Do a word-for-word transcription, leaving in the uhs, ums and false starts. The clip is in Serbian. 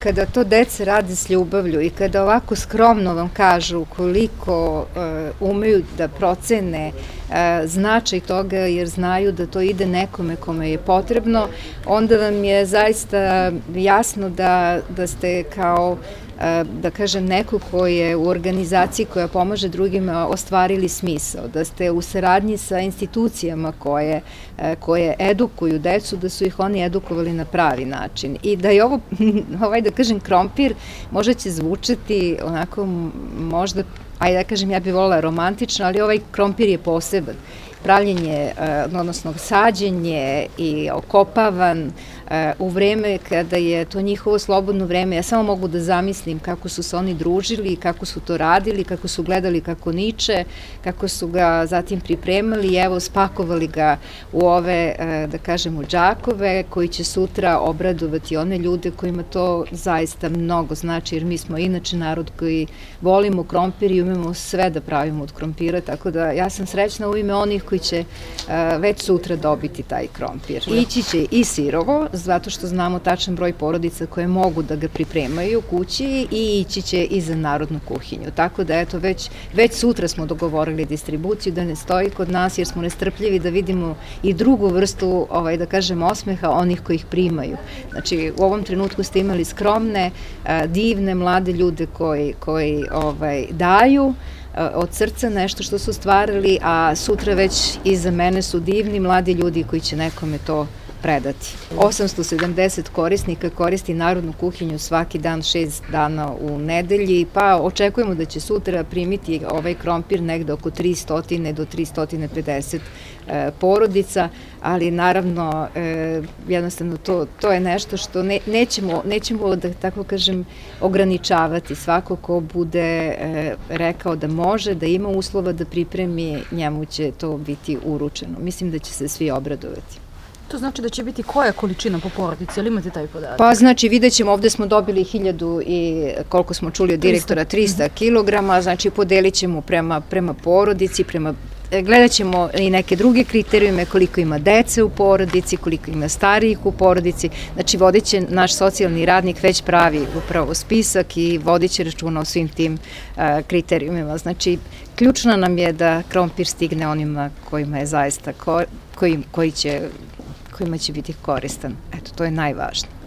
Kada to deca rade s ljubavlju i kada ovako skromno vam kažu koliko uh, umeju da procene uh, značaj toga jer znaju da to ide nekome kome je potrebno, onda vam je zaista jasno da, da ste kao da kažem, neko ko je u organizaciji koja pomaže drugima ostvarili smisao, da ste u saradnji sa institucijama koje, koje edukuju decu, da su ih oni edukovali na pravi način. I da je ovo, ovaj da kažem, krompir, možda će zvučati onako možda, ajde da kažem, ja bih volila romantično, ali ovaj krompir je poseban. Pravljenje, odnosno sađenje i okopavan u vreme kada je to njihovo slobodno vreme. Ja samo mogu da zamislim kako su se oni družili, kako su to radili, kako su gledali kako niče, kako su ga zatim pripremali i evo spakovali ga u ove, da kažemo, džakove koji će sutra obradovati one ljude kojima to zaista mnogo znači, jer mi smo inače narod koji volimo krompir i umemo sve da pravimo od krompira, tako da ja sam srećna u ime onih koji će već sutra dobiti taj krompir. Ići će i sirovo, zato što znamo tačan broj porodica koje mogu da ga pripremaju u kući i ići će i za narodnu kuhinju. Tako da eto, već, već sutra smo dogovorili distribuciju da ne stoji kod nas jer smo nestrpljivi da vidimo i drugu vrstu, ovaj, da kažem, osmeha onih koji ih primaju. Znači, u ovom trenutku ste imali skromne, divne, mlade ljude koji, koji ovaj, daju od srca nešto što su stvarali, a sutra već iza mene su divni mladi ljudi koji će nekome to predati. osamsto sedamdeset korisnika koristi narodnu kuhinju svaki dan, šest dana u nedelji, pa očekujemo da će sutra primiti ovaj krompir negde oko tristo do tristo pedeset porodica, ali naravno jednostavno to, to je nešto što ne, nećemo, nećemo da tako kažem ograničavati. Svako ko bude rekao da može, da ima uslova da pripremi, njemu će to biti uručeno. Mislim da će se svi obradovati. To znači da će biti koja količina po porodici, ali imate taj podatak? Pa znači vidjet ćemo, ovde smo dobili hiljadu i koliko smo čuli od direktora, trista kilograma, znači podelit ćemo prema, prema porodici, prema gledat ćemo i neke druge kriterijume, koliko ima dece u porodici, koliko ima starijih u porodici, znači vodit će naš socijalni radnik već pravi upravo spisak i vodit će računa o svim tim uh, kriterijumima. Znači, ključno nam je da krompir stigne onima kojima je zaista, ko, koji, koji će, kojima će biti koristan. Eto, to je najvažnije.